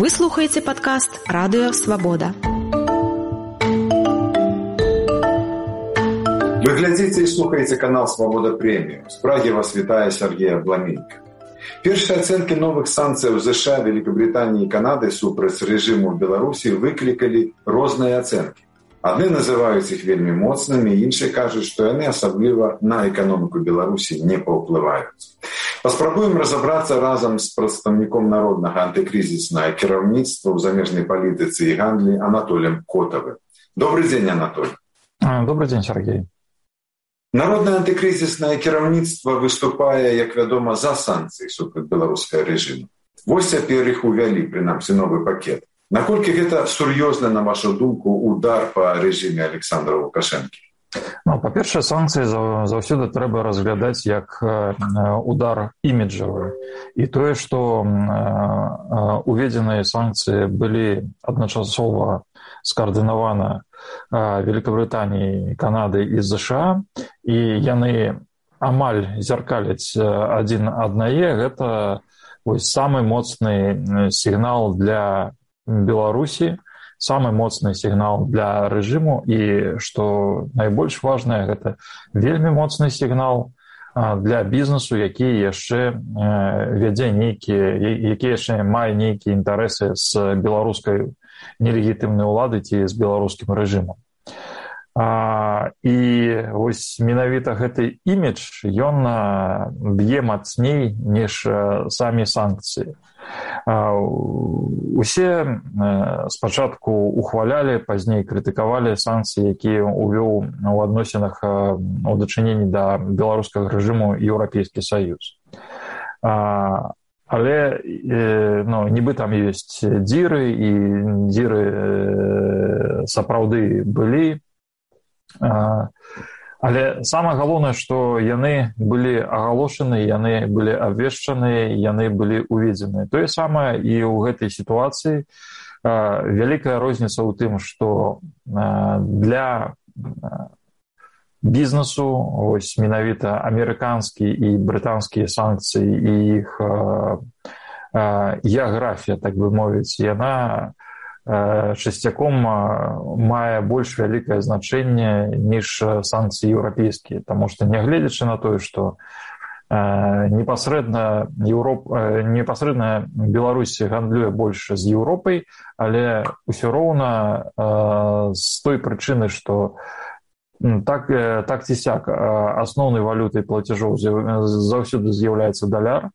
Вы слухаеце падкаст «Радыё Свабода». Вы глядзіце і слухаеце канал «Свабода Прэміум». З Прагі вас вітае Сергей Абламенька. Першыя ацэнкі новых санкцыяў США, Великабритании і Канады супраць рэжыму Беларусі выклікалі розныя ацэнкі. Адны называюць іх вельмі моцнымі, іншыя кажуць, што яны асабліва на эканоміку Беларусі не паўплываюць. Паспрабуем разабрацца разам з прадстаўніком народнага антыкрызіснага кіраўніцтва ў замежнай палітыцы і гандлі Анатолием Котавым. Добрый дзень, Анатолий. Добрый дзень, Сергей. Народнае антыкрызіснае кіраўніцтва выступае, як вядома, за санкцыі супраць беларускага рэжыму. Вось цяпер іх увялі, прынамсі, новы пакет. Наколькі гэта сур'ёзна, на вашу думку, удар па рэжыме Александра Лукашэнкі? Па-першае, санкцыі заўсёды трэба разглядаць як удар іміджавы. І тое, што уведзеныя санкцыі былі адначасова скаардынаваны Великабританией, Канады і США, і яны амаль зеркаляць адзін аднае, гэта самы моцны сігнал для Беларусі, самы моцны сігнал для рэжыму, і, што найбольш важнае, гэта вельмі моцны сігнал для бізнесу, які яшчэ вядзе які яшчэ мае нейкія інтарэсы з беларускай нелегітымнай улады ці з беларускім рэжымам. І вось менавіта гэты імідж, ён б'е мацней, ніж самі санкцыі. Усе спачатку ухвалялі, пазней крытыкавалі санкцыі, якія ўвёў у адносінах у дачыненні да беларускага рэжыму Еўрапейскі Саюз. Але нібы там ёсць дзіры, і дзіры сапраўды былі. Але самае галоўнае, што яны былі агалошаны, яны былі абвешчаны, яны былі уведзены. Тое самае і ў гэтай сітуацыі. Вялікая розніца ў тым, што для бізнесу вось менавіта амерыканскія і брытанскія санкцыі і іх геаграфія, так бы мовіць, яна часцяком мае больш вялікае значэнне, ніж санкцыі еўрапейскія. Таму што, нягледзячы на тое, што непасрэдна Беларусь гандлюе больш з Еўропай, але ўсё роўна з той прычыны, што так ці сяк асноўнай валютай плацяжоў заўсёды з'яўляецца даляр.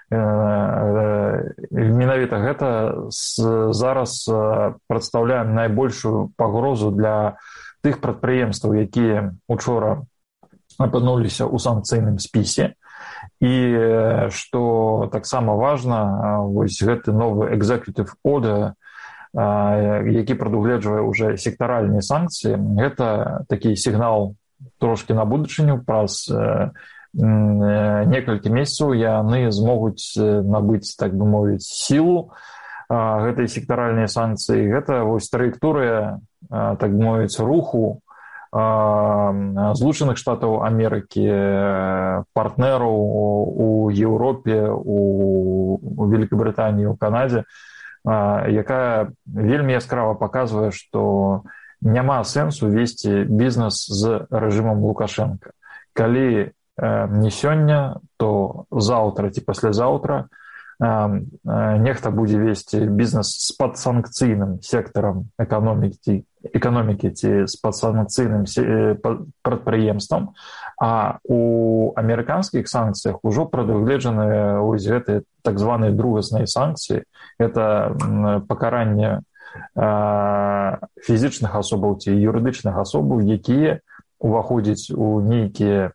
Менавіта гэта зараз прадстаўляе найбольшую пагрозу для тых прадпрыемстваў, якія учора апынуліся ў санкцыйным спісе. І што таксама важна, вось гэты новы executive order, які прадугледжвае ўжо сектаральныя санкцыі, гэта такі сігнал трошкі на будучыню. Праз некалькі месяцаў яны змогуць набыць, так бы мовіць, сілу гэтай сектаральнай санкцыі. Гэта вось траекторыя, так бы мовіць, руху Злучаных Штатаў Амерыкі, партнераў у Еўропе, у Великабритании, у Канадзе, якая вельмі яскрава паказвае, што няма сэнсу весці бізнес з рэжымам Лукашэнка. Калі не сёння, то заўтра ці паслязаўтра нехта будзе весці бізнес з падсанкцыйным сектарам эканомікі ці з падсанкцыйным прадпрыемствам, а у амерыканскіх санкцыях ужо прадугледжаны вось гэтыя так званыя другасныя санкцыі. Гэта пакаранне фізічных асобаў ці юрыдычных асобаў, якія уваходзяць у нейкія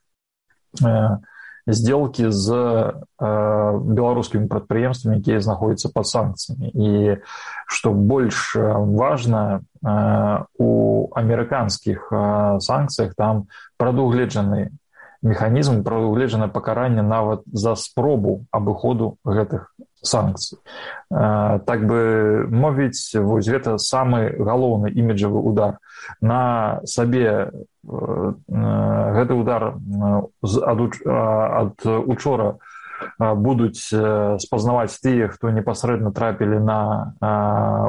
сделкі з беларускімі прадпрыемствамі, якія знаходзяцца пад санкцыямі. І што больш важна, у амерыканскіх санкцыях там прадугледжаны механізм, прадугледжана пакаранне нават за спробу абыходу гэтых санкцый. Так бы мовіць, вось гэта самы галоўны іміджавы удар. На сабе гэты удар ад учора будуць спазнаваць тыя, хто непасрэдна трапілі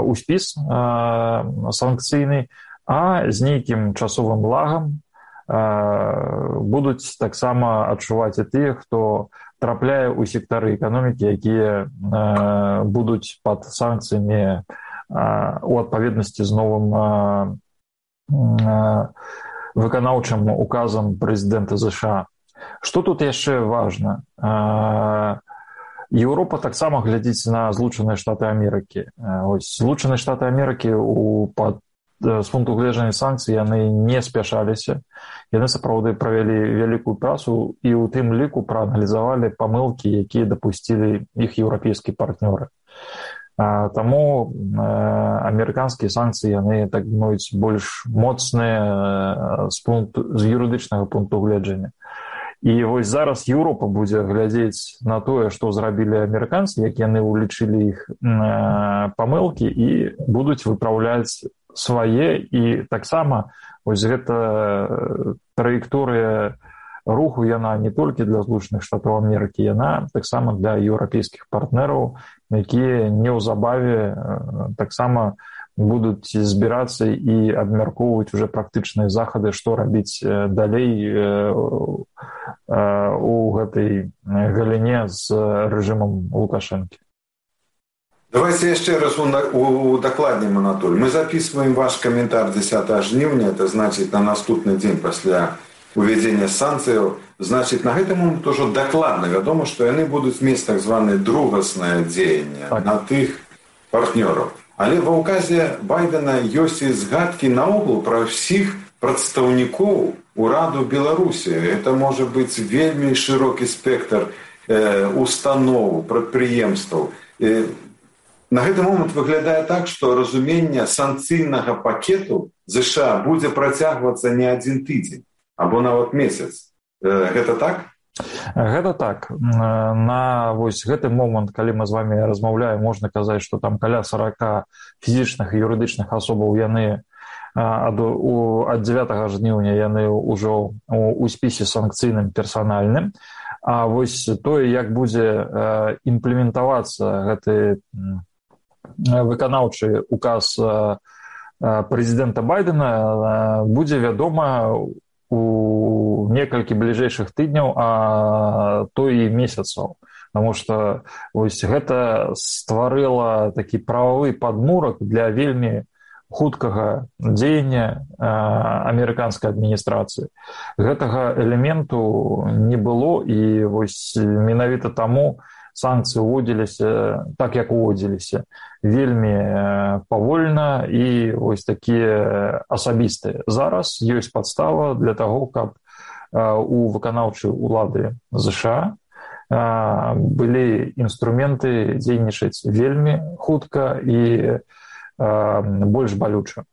у спіс санкцыйны, а з нейкім часовым лагам будуць таксама адчуваць і тыя, хто трапляе ў сектары эканомікі, якія будуць пад санкцыямі у адпаведнасці з новым выканаўчым указам прэзідэнта ЗША. Што тут яшчэ важна? Еўропа таксама глядзіць на Злучаныя Штаты Амерыкі. Злучаныя Штаты Амерыкі з пункту гледжання санкцый яны не спяшаліся. Яны сапраўды правялі вялікую працу і ў тым ліку прааналізавалі памылкі, якія дапусцілі іх еўрапейскія партнёры. Таму амерыканскія санкцыі яны, так мовіць, больш моцныя з юрыдычнага пункту гледжання. І вось зараз Еўропа будзе глядзець на тое, што зрабілі амерыканцы, як яны ўлічылі іх памылкі і будуць выпраўляць свае. І таксама вось гэта траекторыя руху, яна не толькі для Злучаных Штатаў Амерыкі, яна таксама для еўрапейскіх партнераў, якія неўзабаве таксама будуць збірацца і абмяркоўваць уже практычныя захады, што рабіць далей у гэтай галіне з рэжымам Лукашэнкі. Давайте еще раз удакладнім, Анатолий. Мы записываем ваш комментарий 10 жніўня, это значит на наступный день после уведения санкций. Значит, на гэтым момент уже докладно вядома, что яны будут мець так званое другаснае дзеянне на тых партнёраў. Але ва ўказе Байдена ёсць і згадкі наогул пра ўсіх прадстаўнікоў ураду Беларусі. Это можа быць вельмі шырокі спектр устаноў, прадпрыемстваў. На гэты момант выглядае так, што разуменне санкцыйнага пакету ЗША будзе працягвацца не адзін тыдзень, або нават месяц. Гэта так? Гэта так. На вось гэты момант, калі мы з вами размаўляем, можна казаць, што там каля 40 фізічных і юрыдычных асобаў яны ад 9 жніўня яны ўжо у спісе санкцыйным персанальным. А вось тое, як будзе імплементавацца гэты выканаўчы указ прэзідэнта Байдена, будзе вядома у некалькі бліжэйшых тыдняў, а то і месяцаў. Таму што вось гэта стварыла такі прававы падмурак для вельмі хуткага дзеяння амерыканскай адміністрацыі. Гэтага элементу не было, і вось менавіта таму санкцыі уводзіліся так, як уводзіліся, вельмі павольна і вось такія асабістыя. Зараз ёсць падстава для таго, каб у выканаўчай улады ЗША былі інструменты дзейнічаць вельмі хутка і больш балюча.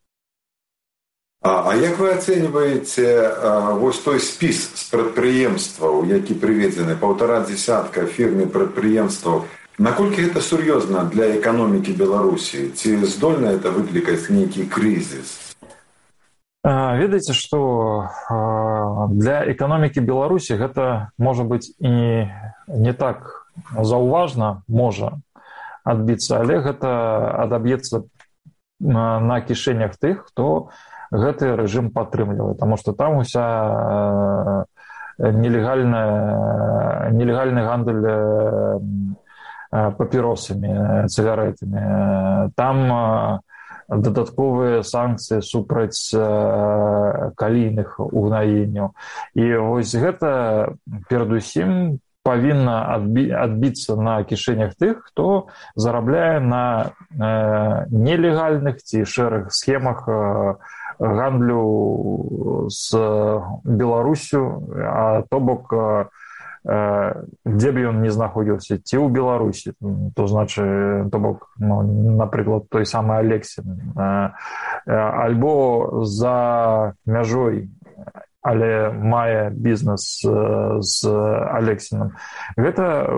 А як вы ацэньваеце вось той спіс з прадпрыемстваў, які прыведзены, 1,5 десятка фірм і прадпрыемстваў, наколькі гэта сур'ёзна для эканомікі Беларусі? Ці здольна это выклікаць нейкі крызіс? Ведаеце, што для эканомікі Беларусі гэта можа быць і не так заўважна, можа адбіцца, але гэта адаб'ецца на кішэнях тых, хто гэты рэжым падтрымлівае, таму што там уся нелегальны гандаль папіросамі, цыгарэтамі. Там дадатковыя санкцыі супраць калійных угнаенняў. І вось гэта перадусім павінна адбіцца на кішэнях тых, хто зарабляе на нелегальных ці шэрых схемах гандлю з Беларусю, а то бок, дзе б ён не знаходзіўся, ці ў Беларусі, то значыць, то бок, напрыклад, той самы Алексін, альбо за мяжой, але мае бізнес з Алексінам. Гэта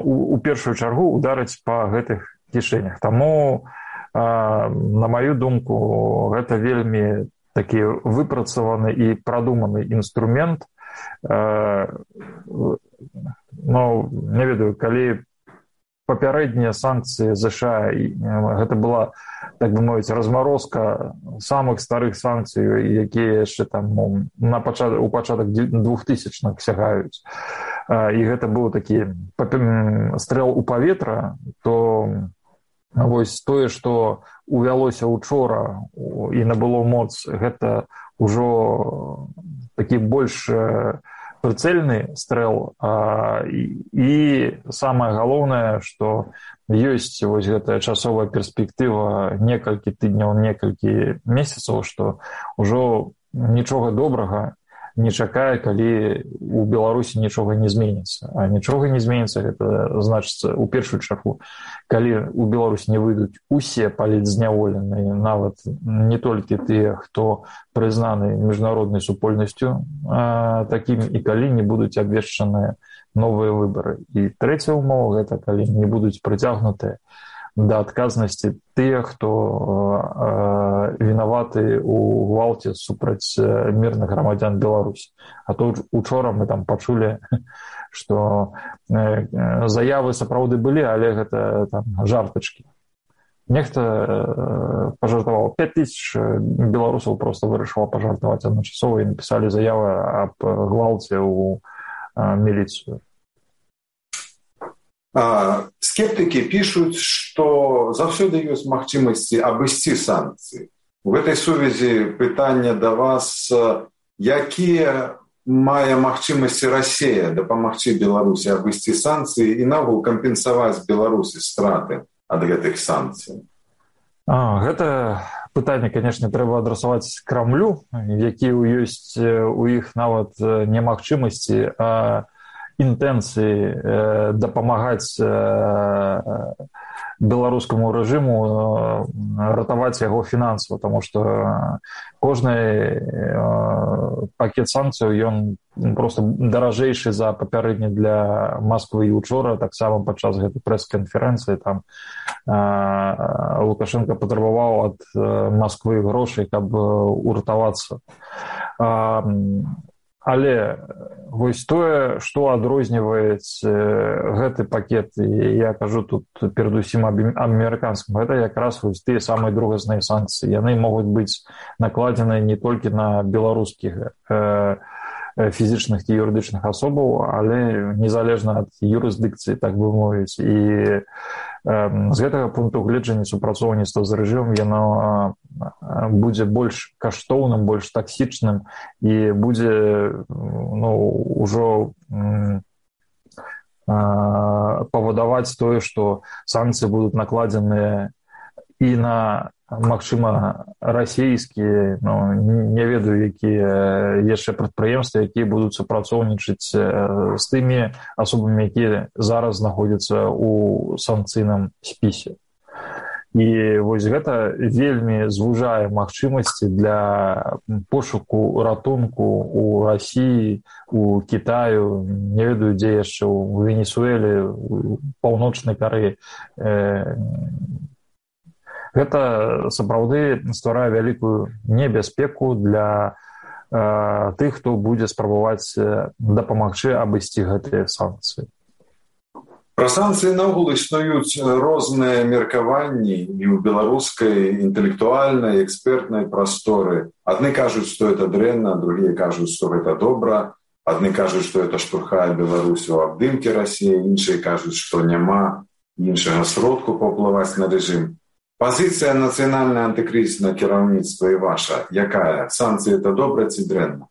у першую чаргу ударыць па гэтых кішэнях. Таму, на маю думку, гэта вельмі такі выпрацаваны і прадуманы інструмент не ведаю, калі папярэднія санкцыі ЗША, гэта была, так бы мовіць, размарозка самых старых санкцый, якія яшчэ там у пачатак 2000-х сягаюць. І гэта быў такі стрэл у паветра, то вось тое, што увялося учора і набыло моц, гэта ўжо такі больш прыцэльны стрэл, і самае галоўнае, што ёсць вось гэтая часовая перспектыва некалькі тыдняў, некалькі месяцаў, што ўжо нічога добрага не чакае, калі у Беларусі нічога не зменіцца. А нічога не зменіцца, гэта значыцца, у першую чаргу, калі у Беларусі не выйдуць усе палітзняволеныя, нават не толькі тыя, хто прызнаны міжнароднай супольнасцю такім, і калі не будуць абвешчаныя новыя выбары. І трэцяя ўмова, гэта калі не будуць прыцягнутыя да адказнасці тыя, хто вінаваты ў гвалце супраць мірных грамадзян Беларусі. А то учора мы там пачулі, што заявы сапраўды былі, але гэта там жартачкі. Нехта пажартаваў. 5000 беларусаў проста вырашыла пажартаваць адначасова і напісалі заявы аб гвалце ў міліцыю. Скептыкі пішуць, што заўсёды ёсць магчымасці абысці санкцыі. У гэтай сувязі пытанне да вас, якія мае магчымасці Расія дапамагчы Беларусі абысці санкцыі і наогул кампенсаваць Беларусі страты ад гэтых санкцый? Гэта пытанне, канешне, трэба адрасаваць Крамлю, які ёсць у іх нават не магчымасці, а інтэнцыі дапамагаць беларускаму рэжыму ратаваць яго фінансава, таму што кожны пакет санкцыяў, ён проста даражэйшы за папярэдні для Масквы. І учора таксама падчас гэтай прэс-канферэнцыі там Лукашенко патрабаваў ад Масквы грошай, каб уратавацца. Але вось тое, што адрозніваюць гэты пакет, я кажу тут перадусім аб амерыканскім, гэта якраз вось тыя самыя другасныя санкцыі. Яны могуць быць накладзены не толькі на беларускіх фізічных і юрыдычных асобаў, але незалежна ад юрысдыкцыі, так бы мовіць. І з гэтага пункту гледжання супрацоўніцтва з рэжымам яно будзе больш каштоўным, больш таксічным і будзе ўжо павадаваць тое, што санкцыі будуць накладзеныя і на, магчыма, расійскія, не ведаю, якія яшчэ прадпрыемствы, якія будуць супрацоўнічаць з тымі асобамі, якія зараз знаходзяцца ў санкцыйным спісе. І вось гэта вельмі звужае магчымасці для пошуку ратунку ў Расіі, у Кітаю, не ведаю, дзе яшчэ, у Венесуэле, у Паўночнай Карэі. Гэта сапраўды стварае вялікую небяспеку для тых, хто будзе спрабаваць дапамагчы абысці гэтыя санкцыі. Пра санкцыі наогул існуюць розныя меркаванні і ў беларускай інтэлектуальнай, экспертнай прасторы. Адны кажуць, што гэта дрэнна, другія кажуць, што гэта добра. Адны кажуць, што гэта штурхае Беларусь у абдымкі Расіі, іншыя кажуць, што няма іншага сродку паўплываць на рэжым. Пазіцыя нацыянальнае антыкрызіснае кіраўніцтва і ваша якая? Санкцыі это добра ці дрэнна?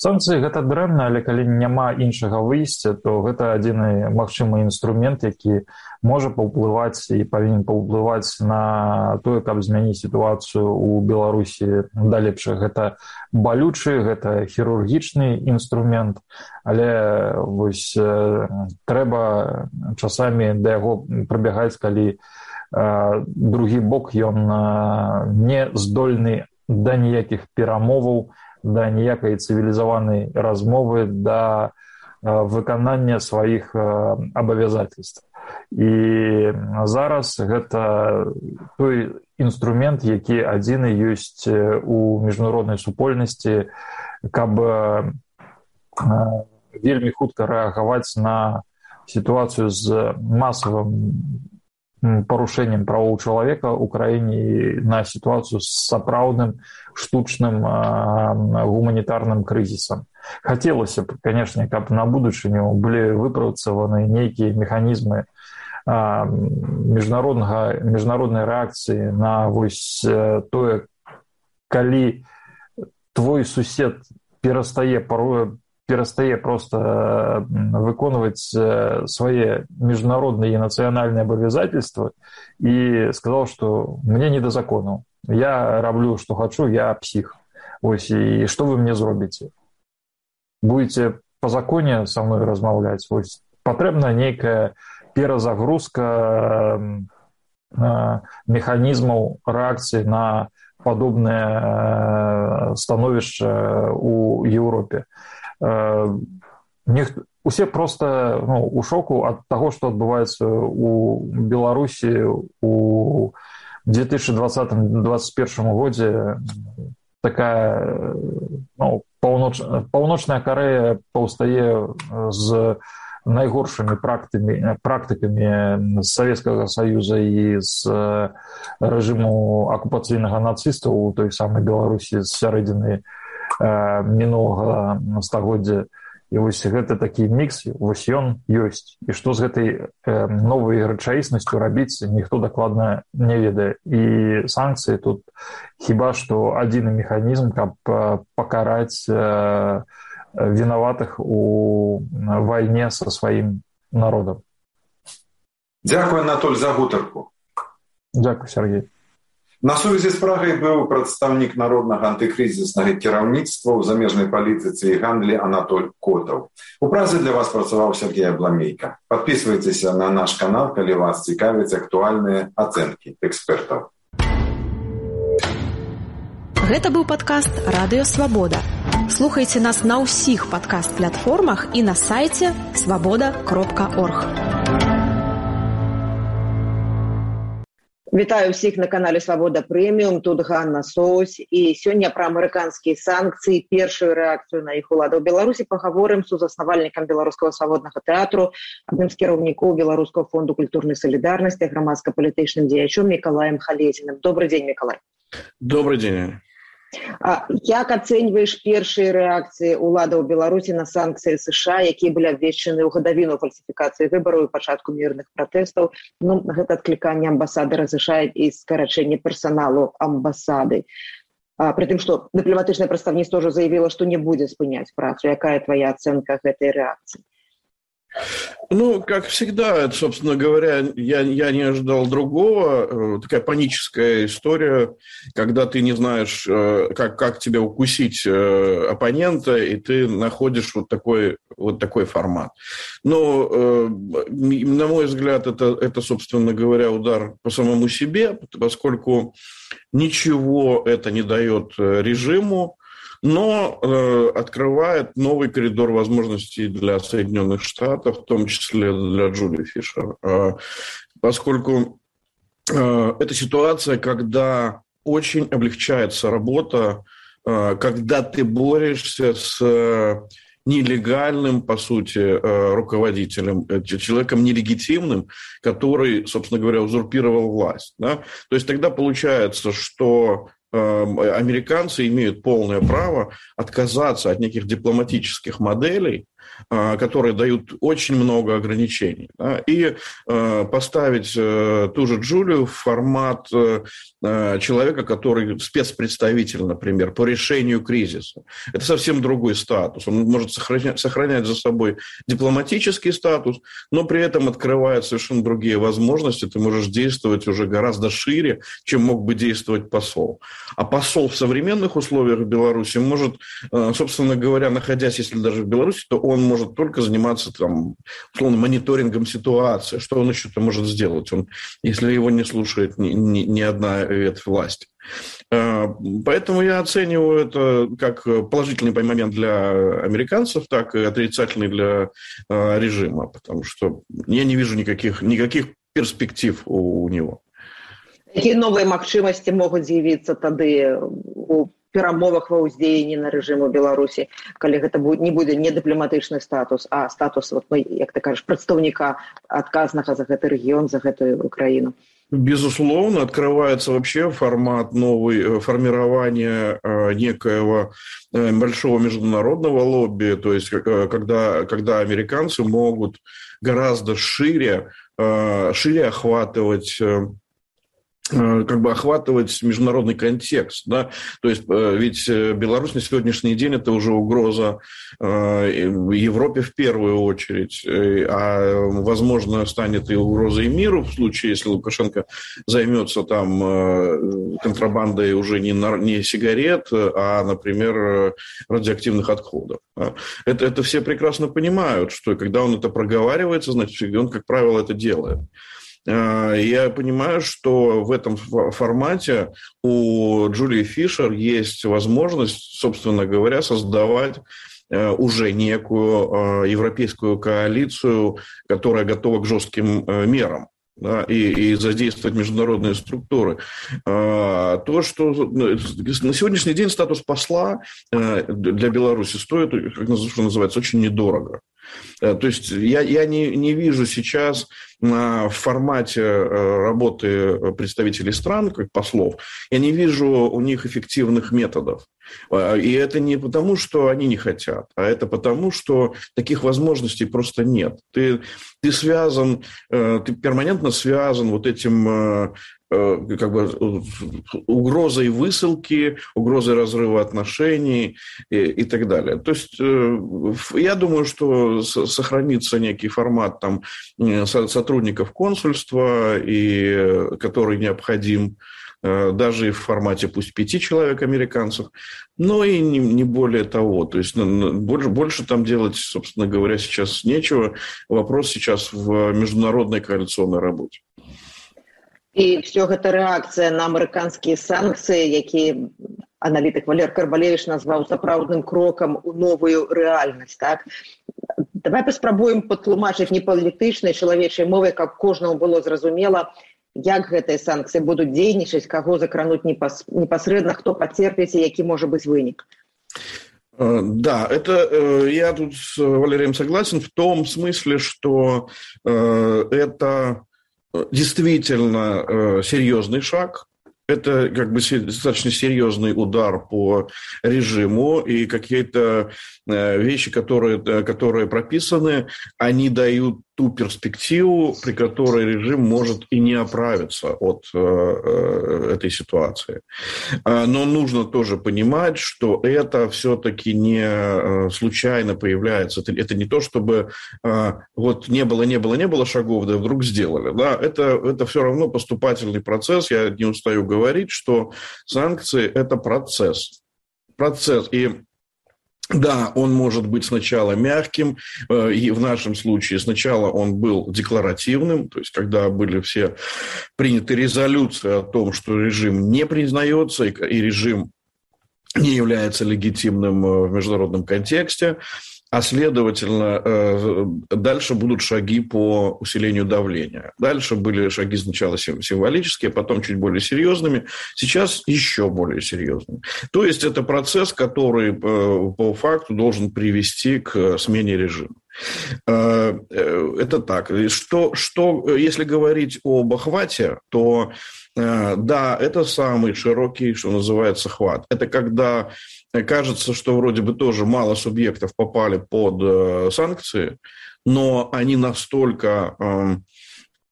Санкцыі гэта дрэнна, але калі няма іншага выйсця, то гэта адзіны магчымы інструмент, які можа паўплываць і павінен паўплываць на тое, каб змяніць сітуацыю ў Беларусі да лепшага. Гэта балючы, гэта хірургічны інструмент, але вось трэба часамі да яго прыбягаць, калі другі бок ён не здольны да ніякіх перамоваў, да ніякай цывілізаванай размовы, да выканання сваіх абавязательств. І зараз гэта той інструмент, які адзіны ёсць у міжнароднай супольнасці, каб вельмі хутка рэагаваць на сітуацыю з масавым парушэннем правоў чалавека ў краіне і на сітуацыю з сапраўдным штучным гуманітарным крызісам. Хацелася б, канешне, каб на будучыню былі выпрацаваны нейкія механізмы міжнароднай рэакцыі на вось тое, калі твой сусед перастае просто выконваць свае міжнародныя і нацыянальныя абавязательствы і сказаў, што мне не да закону. Я раблю, што хачу, я псіх. Вось, і што вы мне зробіце? Будете па законе са мной размаўляць? Вось, патрэбна нейкая перазагрузка механізмаў рэакцыі на падобнае становішча ў Еўропе. Усе просто у шоку ад таго, што адбываецца ў Беларусі у 2020-2021 годзе. Такая паўночная Карэя паўстае з найгоршымі практыкамі з Савецкага Саюза і з рэжыму акупацыйнага нацыстаў у той самай Беларусі з сярэдзіны мінулага стагоддзя. І вось гэта такі мікс, вось ён ёсць. І што з гэтай новай рэчаіснасцю рабіць, ніхто дакладна не ведае. І санкцыі тут хіба што адзіны механізм, каб пакараць вінаватых у вайне са сваім народам. Дзякуй, Анатоль, за гутарку. Дзякуй, Сергей. На сувязі з Прагай быў прадстаўнік народнага антыкрызіснага кіраўніцтва ў замежнай палітыцы і гандлі Анатоль Котаў. У Празе для вас працаваў Сергей Абламейка. Падпісвайцеся на наш канал, калі вас цікавяць актуальныя ацэнкі экспертаў. Гэта быў падкаст «Радыё Свабода». Слухайце нас на ўсіх падкаст-платформах і на сайце свабода.орг. Вітаю ўсіх на канале Свабода Прэміум, тут Ганна Соусь, і сёння пра амерыканскія санкцыі, першую рэакцыю на іх уладаў Беларусі пагаворым з сузаснавальнікам Беларускага свабоднага тэатру, адным з кіраўнікоў Беларускага фонду культурнай салідарнасці, грамадска-палітычным дзеячом Мікалаем Халезіным. Добрый дзень, Мікалай. Добрый дзень. Як ацэньваеш першыя рэакцыі ўладаў Беларусі на санкцыі США, якія былі абвешчаны ў гадавіну фальсіфікацыі выбараў і пачатку мірных пратэстаў? Гэта адкліканне амбасадара США і скарачэнне персаналу амбасады. Пры тым, што дыпламатычнае прадстаўніцтва ўжо заявіла, што не будзе спыняць працу. Якая твоя ацэнка гэтай рэакцыі? Как всегда, собственно говоря, я не ожидал другого. Такая паническая история, когда ты не знаешь, как тебя укусить оппонента, и ты находишь вот такой формат. Но, на мой взгляд, это, собственно говоря, удар по самому себе, поскольку ничего это не дает режиму, но открывает новый коридор возможностей для Соединенных Штатов, в том числе для Джули Фишер. Поскольку это ситуация, когда очень облегчается работа, когда ты борешься с нелегальным, по сути, руководителем, человеком нелегитимным, который, собственно говоря, узурпировал власть. Да? То есть тогда получается, что американцы имеют полное право отказаться от неких дипломатических моделей, которые дают очень много ограничений, да, и поставить ту же Джулию в формат человека, который спецпредставитель, например, по решению кризиса. Это совсем другой статус. Он может сохранять за собой дипломатический статус, но при этом открывает совершенно другие возможности. Ты можешь действовать уже гораздо шире, чем мог бы действовать посол. А посол в современных условиях в Беларуси может, собственно говоря, находясь, если даже в Беларуси, то он может только заниматься, условно, мониторингом ситуации. Что он еще-то может сделать, если его не слушает ни одна ветвь власти. Поэтому я оцениваю это как положительный момент для американцев, так и отрицательный для режима, потому что я не вижу никаких перспектив у него. Какие новые магчымасці могуць з'явіцца тады у перамовах ва ўздзеянні на рэжыму Беларусі, калі гэта не будзе не дыпламатычны статус, а статус, як ты кажаш, прадстаўніка адказнага за гэты рэгіён, за гэтую Украіну? Безусловно, открывается вообще формат новый формирования некоего большого международного лобби, то есть когда американцы могут гораздо шире охватывать международный контекст, да, то есть ведь Беларусь на сегодняшний день это уже угроза Европе в первую очередь, а возможно станет и угрозой миру в случае, если Лукашенко займется там контрабандой уже не сигарет, а, например, радиоактивных отходов. Это все прекрасно понимают, что когда он это проговаривается, значит, он, как правило, это делает. Я понимаю, что в этом формате у Джулии Фишер есть возможность, собственно говоря, создавать уже некую европейскую коалицию, которая готова к жестким мерам. Да, и задействовать международные структуры. То, что на сегодняшний день статус посла для Беларуси стоит, как называется, очень недорого. То есть я не вижу сейчас в формате работы представителей стран, как послов, я не вижу у них эффективных методов. И это не потому, что они не хотят, а это потому, что таких возможностей просто нет. Ты перманентно связан вот этим как бы угрозой высылки, угрозой разрыва отношений и так далее. То есть я думаю, что сохранится некий формат там сотрудников консульства, который необходим, даже и в формате пусть 5 человек американцев, но и не более того. То есть больше там делать, собственно говоря, сейчас нечего. Вопрос сейчас в международной коалиционной работе. І все гэта рэакцыя на амерыканскія санкцыі, які аналітык Валер Карбалевіч назваў сапраўдным крокам у новую рэальнасць. Так? Давай паспрабуем патлумачыць не палітычнай чалавечай мовай, каб кожнаму было зразумела, як гэтыя санкцыі будуць дзейнічаць, каго закрануць непасрэдна, хто пацерпіць і які можа быць вынік. Да, это я тут с Валерием согласен в том смысле, что это действительно серьезный шаг. Это как бы достаточно серьезный удар по режиму, и какие-то вещи, которые прописаны, они дают ту перспективу, при которой режим может и не оправиться от этой ситуации. Но нужно тоже понимать, что это все-таки не случайно появляется. Это не то, чтобы вот не было шагов, да вдруг сделали. Да? Это все равно поступательный процесс. Я не устаю говорить, что санкции – это процесс. И да, он может быть сначала мягким, и в нашем случае сначала он был декларативным, то есть когда были все приняты резолюции о том, что режим не признается и режим не является легитимным в международном контексте, а следовательно, дальше будут шаги по усилению давления. Дальше были шаги сначала символические, потом чуть более серьезными, сейчас еще более серьезными. То есть это процесс, который по факту должен привести к смене режима. Это так. Что, если говорить об охвате, то да, это самый широкий, что называется, хват. Это когда кажется, что вроде бы тоже мало субъектов попали под санкции, но они настолько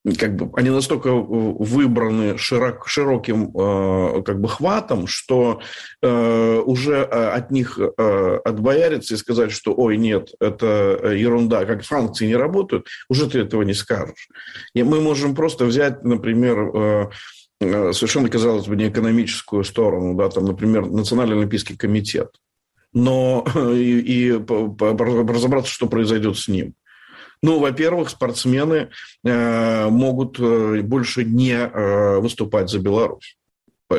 выбраны широким как бы хватом, что уже от них отбояриться и сказать, что ой, нет, это ерунда, как санкции не работают, уже ты этого не скажешь. И мы можем просто взять, например, совершенно, казалось бы, не экономическую сторону, да, там, например, Национальный олимпийский комитет, но и разобраться, что произойдет с ним. Ну, во-первых, спортсмены могут больше не выступать за Беларусь.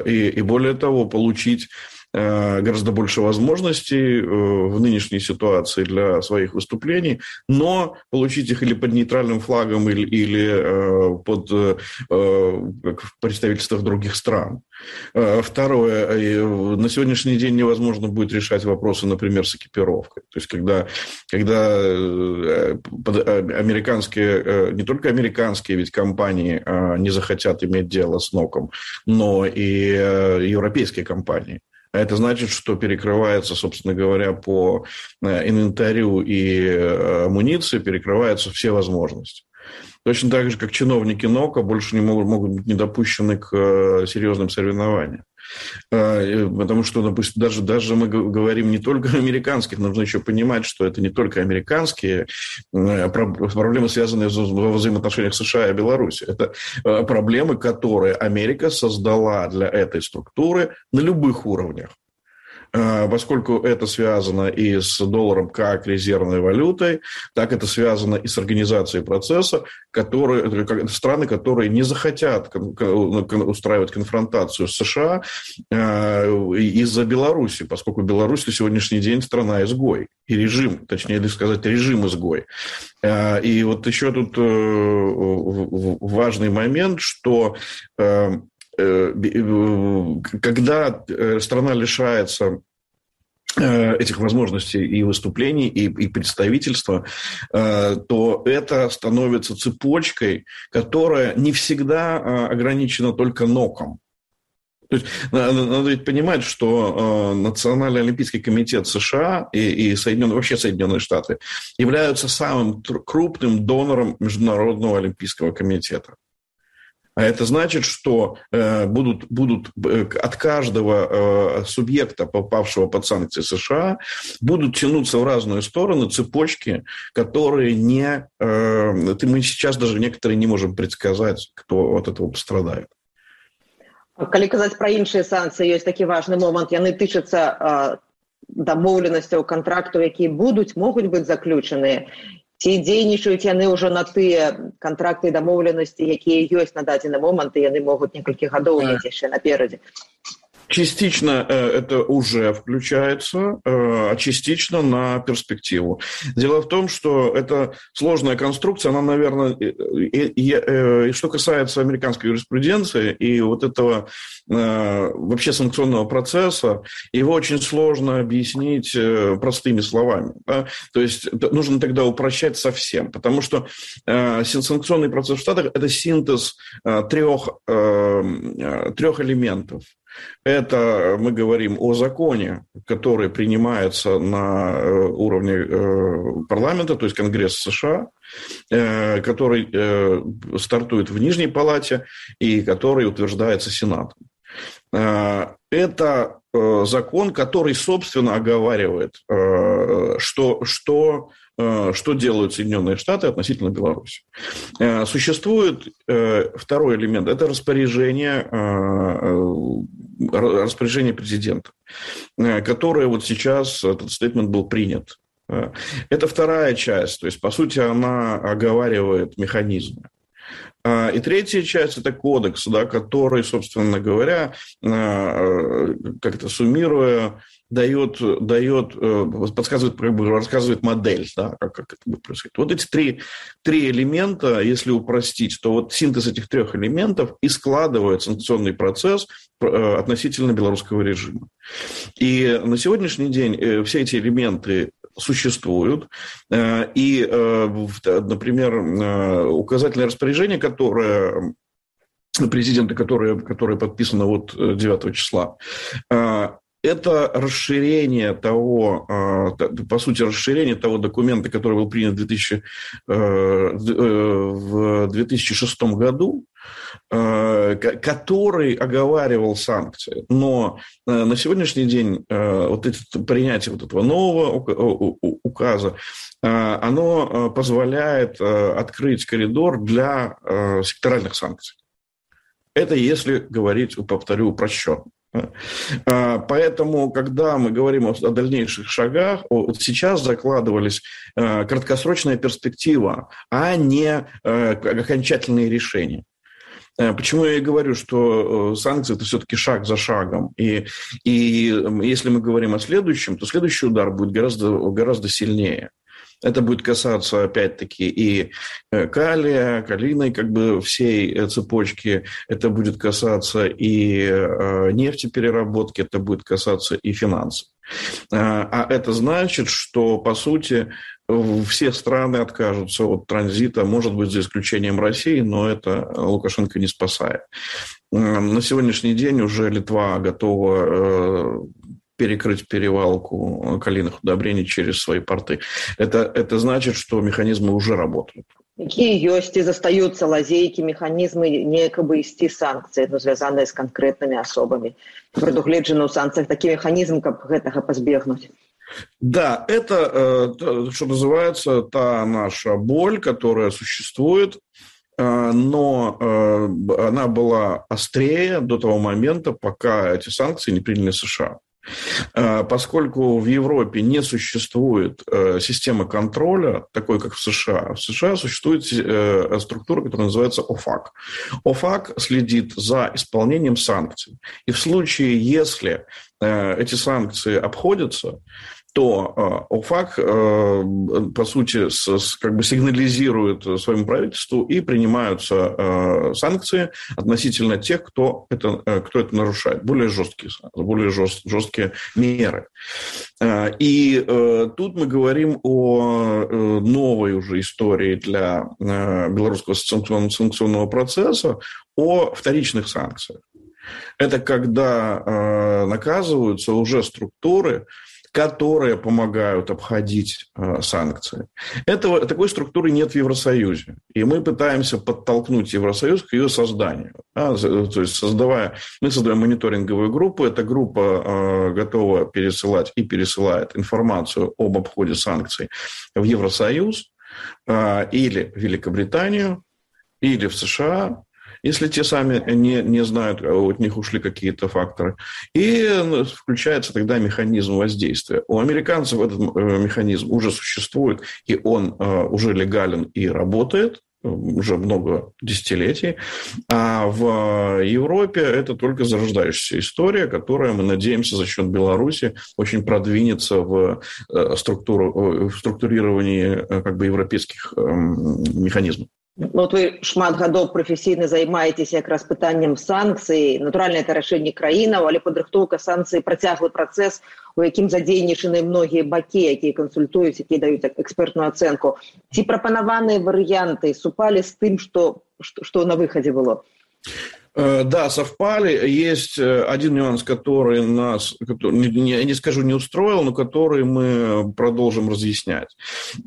И более того, получить гораздо больше возможностей в нынешней ситуации для своих выступлений, но получить их или под нейтральным флагом, или под в представительствах других стран. Второе. На сегодняшний день невозможно будет решать вопросы, например, с экипировкой. То есть, когда американские, не только американские ведь компании не захотят иметь дело с НОКом, но и европейские компании. А это значит, что перекрывается, собственно говоря, по инвентарю и амуниции, перекрываются все возможности. Точно так же, как чиновники НОКа больше не могут быть недопущены к серьезным соревнованиям. Потому что, допустим, даже мы говорим не только о американских, нужно еще понимать, что это не только американские проблемы, связанные во взаимоотношениях США и Беларуси. Это проблемы, которые Америка создала для этой структуры на любых уровнях. Поскольку это связано и с долларом как резервной валютой, так это связано и с организацией процесса, страны, которые не захотят устраивать конфронтацию с США из-за Беларуси, поскольку Беларусь на сегодняшний день страна-изгой, и режим, точнее сказать, режим-изгой. И вот еще тут важный момент, что когда страна лишается этих возможностей и выступлений, и представительства, то это становится цепочкой, которая не всегда ограничена только НОКом. То есть надо ведь понимать, что Национальный олимпийский комитет США и вообще Соединенные Штаты являются самым крупным донором Международного олимпийского комитета. А это значит, что будут от каждого субъекта, попавшего под санкции США, будут тянуться в разные стороны цепочки, которые мы сейчас даже некоторые не можем предсказать, кто от этого пострадает. Калі казаць пра іншыя санкцыі, ёсць такі важны момант. Яны тычацца дамоўленасцяў, кантрактаў, якія могуць быць заключаныя. Ці дзейнічаюць яны ўжо на тыя кантракты і дамоўленасці, якія ёсць на дадзены момант, і яны могуць некалькі гадоў мець яшчэ наперадзе? Частично это уже включается, а частично на перспективу. Дело в том, что это сложная конструкция, она, наверное, и что касается американской юриспруденции и вот этого вообще санкционного процесса, его очень сложно объяснить простыми словами. Да? То есть нужно тогда упрощать совсем, потому что санкционный процесс в Штатах – это синтез трех элементов. Это мы говорим о законе, который принимается на уровне парламента, то есть Конгресса США, который стартует в Нижней палате и который утверждается Сенатом. Это закон, который, собственно, оговаривает, что делают Соединенные Штаты относительно Беларуси. Существует второй элемент – это распоряжение президента, которое вот сейчас, этот стейтмент был принят. Это вторая часть, то есть, по сути, она оговаривает механизмы. И третья часть – это кодекс, да, который, собственно говоря, как-то суммируя, подсказывает, рассказывает модель, да, как это будет происходить. Вот эти три элемента, если упростить, то вот синтез этих трех элементов и складывает санкционный процесс относительно белорусского режима. И на сегодняшний день все эти элементы существуют. И, например, указательное распоряжение, которое президента, которое подписано вот 9 числа, это расширение того, по сути, расширение того документа, который был принят в 2006 году, который оговаривал санкции. Но на сегодняшний день принятие вот этого нового указа, оно позволяет открыть коридор для секторальных санкций. Это если говорить, повторю, упрощенно. Поэтому, когда мы говорим о дальнейших шагах, вот сейчас закладывались краткосрочная перспектива, а не окончательные решения. Почему я и говорю, что санкции – это все-таки шаг за шагом. И если мы говорим о следующем, то следующий удар будет гораздо сильнее. Это будет касаться, опять-таки, и калия, калийной всей цепочки. Это будет касаться и нефтепереработки, это будет касаться и финансов. А это значит, что, по сути, все страны откажутся от транзита, может быть, за исключением России, но это Лукашенко не спасает. На сегодняшний день уже Литва готова перекрыть перевалку калийных удобрений через свои порты. Это значит, что механизмы уже работают. Какие есть и застаются лазейки, механизмы неяк абысці санкцыі, звязаныя з канкрэтнымі асобамі? Прадугледжаны ў санкцыях такі механізм, каб гэтага пазбегнуць? Да, это, что называется, та наша боль, которая существует, но она была острее до того момента, пока эти санкции не приняли США. Поскольку в Европе не существует системы контроля, такой, как в США. В США существует структура, которая называется ОФАК. ОФАК следит за исполнением санкций. И в случае, если эти санкции обходятся, то ОФАК, по сути, сигнализирует своему правительству и принимаются санкции относительно тех, кто это нарушает. Более жесткие меры. И тут мы говорим о новой уже истории для белорусского санкционного процесса, о вторичных санкциях. Это когда наказываются уже структуры, которые помогают обходить санкции. Такой структуры нет в Евросоюзе. И мы пытаемся подтолкнуть Евросоюз к ее созданию. То есть мы создаем мониторинговую группу. Эта группа готова пересылать и пересылает информацию об обходе санкций в Евросоюз или в Великобританию, или в США, если те сами не знают, от них ушли какие-то факторы. И включается тогда механизм воздействия. У американцев этот механизм уже существует, и он уже легален и работает уже много десятилетий. А в Европе это только зарождающаяся история, которая, мы надеемся, за счет Беларуси очень продвинется в структурировании европейских механизмов. Вот вы шмат гадоў прафесійна займаецеся якраз пытаннем санкцый. Натуральна, это рашэнне краінаў, але падрыхтоўка санкцый працяглы працэс, у якім задзейнічаны многія бакі, якія кансультуюць, якія даюць экспертную ацэнку. Ці прапанаваныя варыянты супалі з тым, што на выхадзе было? Да, совпали. Есть один нюанс, который нас, я не скажу, не устроил, но который мы продолжим разъяснять.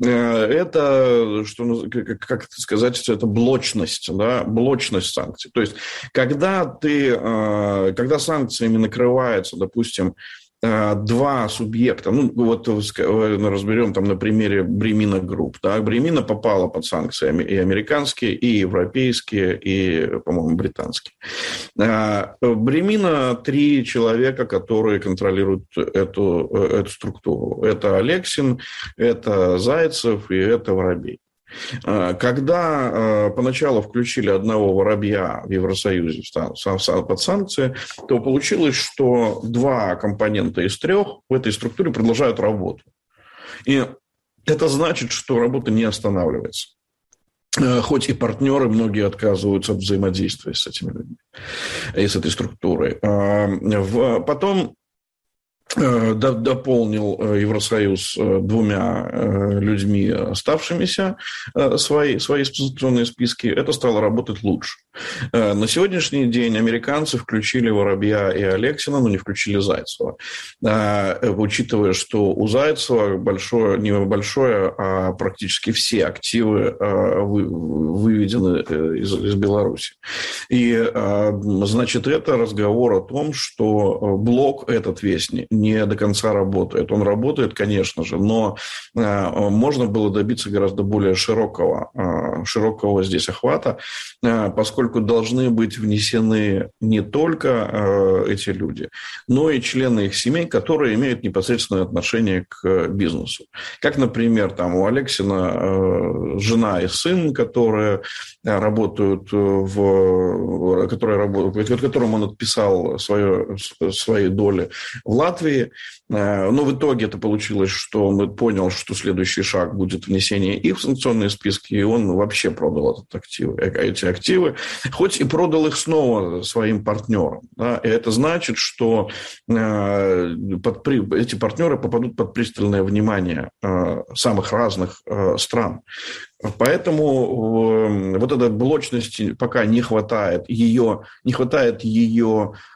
Это, как это сказать, это блочность, да, блочность санкций. То есть, когда санкциями накрывается, допустим, два субъекта, разберем на примере Бремина Групп. Да? Бремина попала под санкции и американские, и европейские, и, по-моему, британские. Бремина 3 человека, которые контролируют эту структуру. Это Алексин, это Зайцев и это Воробей. Когда поначалу включили одного Воробья в Евросоюзе под санкции, то получилось, что 2 компонента из 3 в этой структуре продолжают работу. И это значит, что работа не останавливается. Хоть и партнеры многие отказываются от взаимодействия с этими людьми и с этой структурой. Потом дополнил Евросоюз 2 людьми, оставшимися свои санкционные списки. Это стало работать лучше. На сегодняшний день американцы включили Воробья и Алексина, но не включили Зайцева. Учитывая, что у Зайцева не большое, а практически все активы выведены из Беларуси. И, значит, это разговор о том, что блок этот весь не до конца работает. Он работает, конечно же, но можно было добиться гораздо более широкого здесь охвата, поскольку должны быть внесены не только эти люди, но и члены их семей, которые имеют непосредственное отношение к бизнесу. Как, например, там у Алексина жена и сын, которые работают которым он отписал свои доли в Латвии. Но в итоге это получилось, что он понял, что следующий шаг будет внесение их в санкционные списки, и он вообще продал эти активы, хоть и продал их снова своим партнерам. Да? И это значит, что эти партнеры попадут под пристальное внимание самых разных стран. Поэтому вот этой блочности пока не хватает ее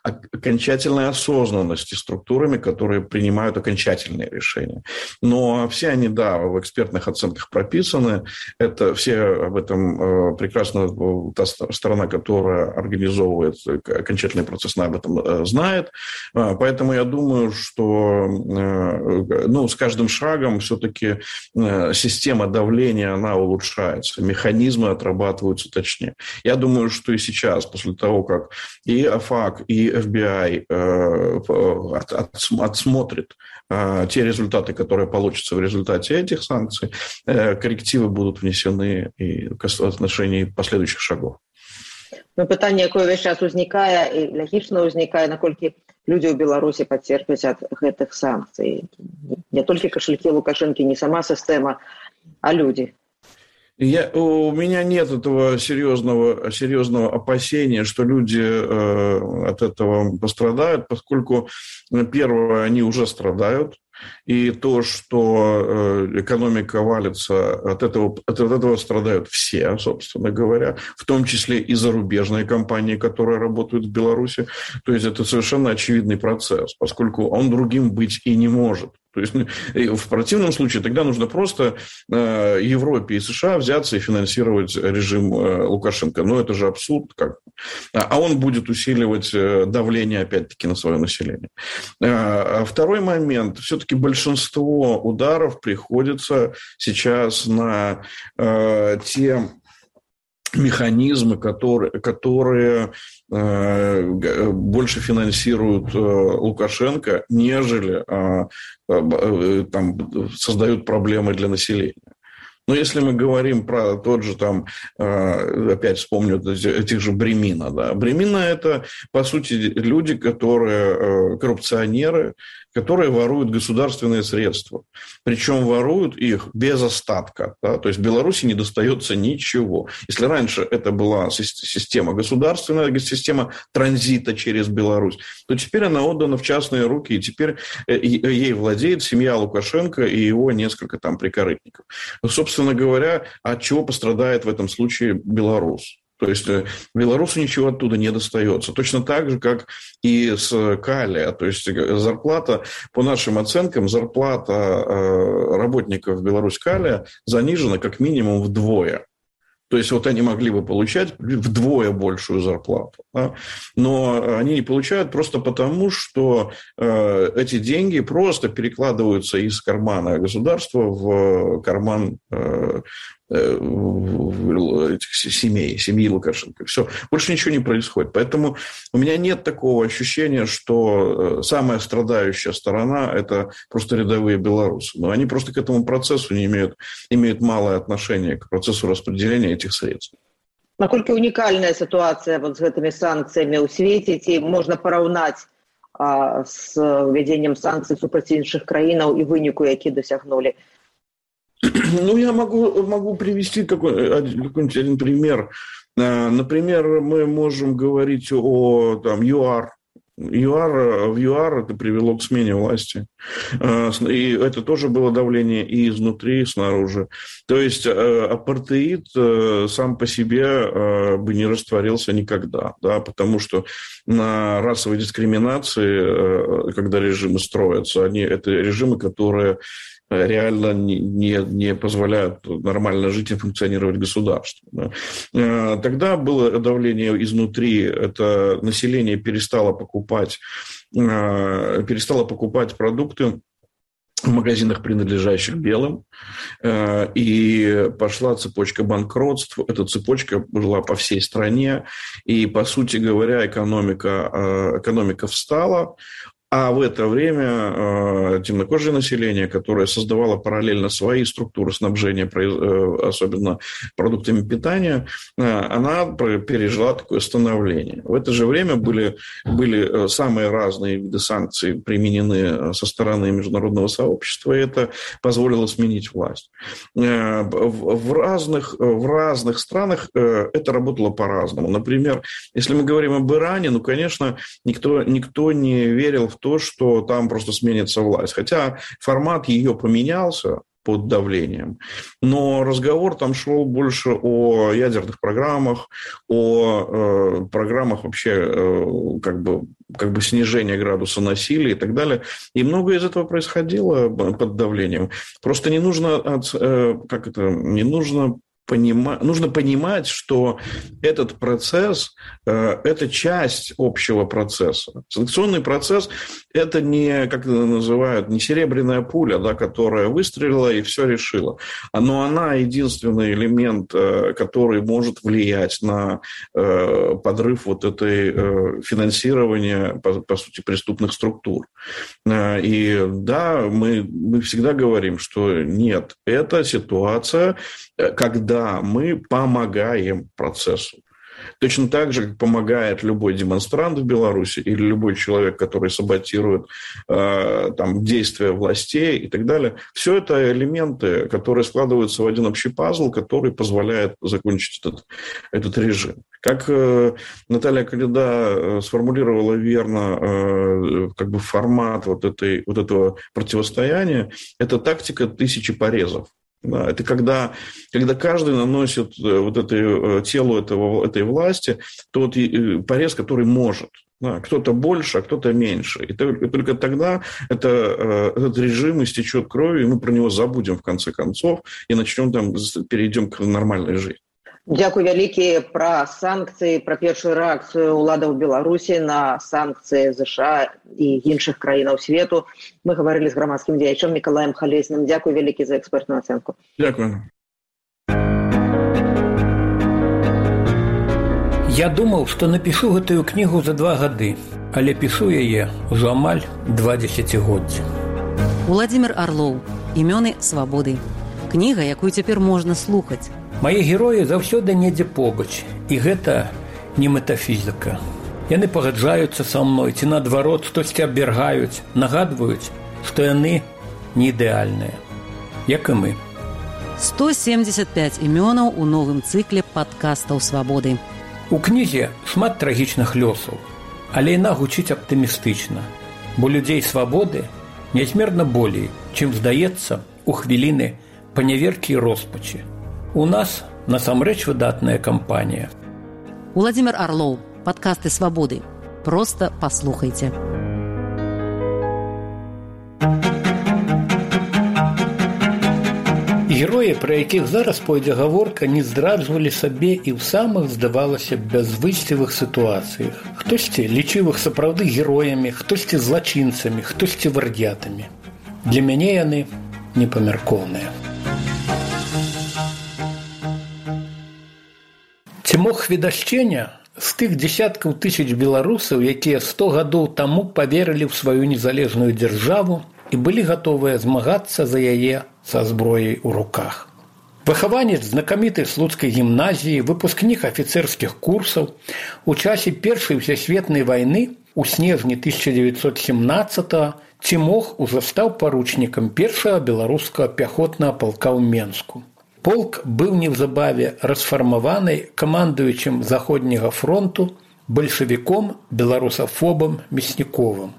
окончательной осознанности структурами, которые принимают окончательные решения. Но все они, да, в экспертных оценках прописаны. Это все об этом прекрасно та сторона, которая организовывает окончательный процесс, об этом знает. Поэтому я думаю, что с каждым шагом все-таки система давления, она улучшается, механизмы отрабатываются точнее. Я думаю, что и сейчас, после того, как и АФАК, и FBI отсмотрит те результаты, которые получатся в результате этих санкций, коррективы будут внесены и в отношении последующих шагов. Пытанне, якое ўвесь час узнікае і лагічна ўзнікае, наколькі людзі ў Беларусі пацерпяць ад гэтых санкцый. Не толькі кошелькі Лукашэнкі, не сама сістэма, а люди. У меня нет этого серьезного опасения, что люди от этого пострадают, поскольку, первое, они уже страдают. И то, что экономика валится, от этого страдают все, собственно говоря, в том числе и зарубежные компании, которые работают в Беларуси. То есть это совершенно очевидный процесс, поскольку он другим быть и не может. То есть в противном случае тогда нужно просто Европе и США взяться и финансировать режим Лукашенко. Но это же абсурд. А он будет усиливать давление, опять-таки, на свое население. А второй момент. Все-таки большинство ударов приходится сейчас на те механизмы, которые больше финансируют Лукашенко, нежели создают проблемы для населения. Но если мы говорим про тот же, опять вспомню этих же Бремина. Да. Бремина – это, по сути, люди, которые коррупционеры, которые воруют государственные средства. Причем воруют их без остатка. Да. То есть в Беларуси не достается ничего. Если раньше это была система государственная, система транзита через Беларусь, то теперь она отдана в частные руки, и теперь ей владеет семья Лукашенко и его несколько прикорытников. Собственно говоря, от чего пострадает в этом случае белорус? То есть белорусу ничего оттуда не достается. Точно так же, как и с Калия. То есть зарплата, по нашим оценкам, зарплата работников Беларусь-Калия занижена как минимум вдвое. То есть вот они могли бы получать вдвое большую зарплату. Да? Но они не получают просто потому, что эти деньги просто перекладываются из кармана государства в карман этих семьи Лукашенко. Все, больше ничего не происходит. Поэтому у меня нет такого ощущения, что самая страдающая сторона – это просто рядовые белорусы. Но они просто к этому процессу не имеют малое отношение, к процессу распределения этих средств. Наколькі унікальная ситуация вот с этими санкциями у свете, ці можна параўнаць с введением санкций супраць іншых краінаў і выніку, які досягнули? Ну, я могу привести какой-нибудь один пример. Например, мы можем говорить о ЮАР. В ЮАР это привело к смене власти. И это тоже было давление и изнутри, и снаружи. То есть апартеид сам по себе бы не растворился никогда, да, потому что на расовой дискриминации, когда режимы строятся, это режимы, которые реально не позволяют нормально жить и функционировать государству. Да. Тогда было давление изнутри, это население перестало покупать продукты в магазинах, принадлежащих белым, и пошла цепочка банкротств. Эта цепочка была по всей стране, и, по сути говоря, экономика встала. А в это время темнокожее население, которое создавало параллельно свои структуры снабжения, особенно продуктами питания, она пережила такое становление. В это же время были самые разные виды санкций применены со стороны международного сообщества, и это позволило сменить власть. В разных странах это работало по-разному. Например, если мы говорим об Иране, конечно, никто не верил в то, что там просто сменится власть. Хотя формат ее поменялся под давлением. Но разговор там шел больше о ядерных программах, о программах вообще как бы снижения градуса насилия и так далее. И многое из этого происходило под давлением. Просто нужно понимать, что этот процесс – это часть общего процесса. Санкционный процесс – это не, как это называют, не серебряная пуля, да, которая выстрелила и все решила. Но она единственный элемент, который может влиять на подрыв вот этой финансирования, по сути, преступных структур. И да, мы всегда говорим, что нет, это ситуация, когда мы помогаем процессу. Точно так же, как помогает любой демонстрант в Беларуси или любой человек, который саботирует действия властей и так далее. Все это элементы, которые складываются в один общий пазл, который позволяет закончить этот режим. Как Наталья Коляда сформулировала верно формат вот этого противостояния, это тактика 1000 порезов. Да, это когда каждый наносит телу этой власти тот порез, который может. Да, кто-то больше, а кто-то меньше. И только тогда этот режим истечет кровью, и мы про него забудем в конце концов и перейдем к нормальной жизни. Дзякуй вялікі. Пра санкцыі, пра першую рэакцыю ўладаў Беларусі на санкцыі ЗША і іншых краінаў свету мы гаварылі з грамадскім дзеячом Мікалаем Халесным. Дзякуй вялікі за экспертную ацэнку. Дзякуй. Я думаў, што напішу гэтую кнігу за 2 гады, але пішу яе ўжо амаль 2 дзесяцігоддзі. Уладзімір Арлоў. Імёны свабоды. Кніга, якую цяпер можна слухаць. Мае героі заўсёды недзе побач, і гэта не метафізіка. Яны пагаджаюцца са мной, ці наадварот штосьці абвяргаюць, нагадваюць, што яны не ідэальныя, як і мы. 175 імёнаў у новым цыкле падкастаў свабоды. У кнізе шмат трагічных лёсаў, але яна гучыць аптымістычна, бо людзей свабоды нязмерна болей, чым здаецца у хвіліны паняверкі і роспачы. У нас насамрэч выдатная кампанія. Уладзімір Арлоў. Падкасты свабоды. Проста паслухайце. Героі, пра якіх зараз пойдзе гаворка, не здраджвалі сабе і ў самых, здавалася, бязвыйсцевых сітуацыях. Хтосьці лічыў іх сапраўды героямі, хтосьці злачынцамі, хтосьці вардятамі. Для мяне яны непамяркоўныя. Ці мог хведашчення з тых дзесяткаў тысяч беларусаў, якія 100 гадоў таму паверылі ў сваю незалежную дзяржаву і былі гатовыя змагацца за яе са зброяй у руках. Выхаванец знакамітай слуцкай гімназіі, выпускнік афіцэрскіх курсаў, у часе Першай сусветнай вайны у снежні 1917-го Цімох ужо стаў паручнікам першага беларускага пяхотнага палка ў Менску. Полк быў неўзабаве расфармаваны камандуючым Заходняга фронту бальшавіком беларусафобам Мясніковым.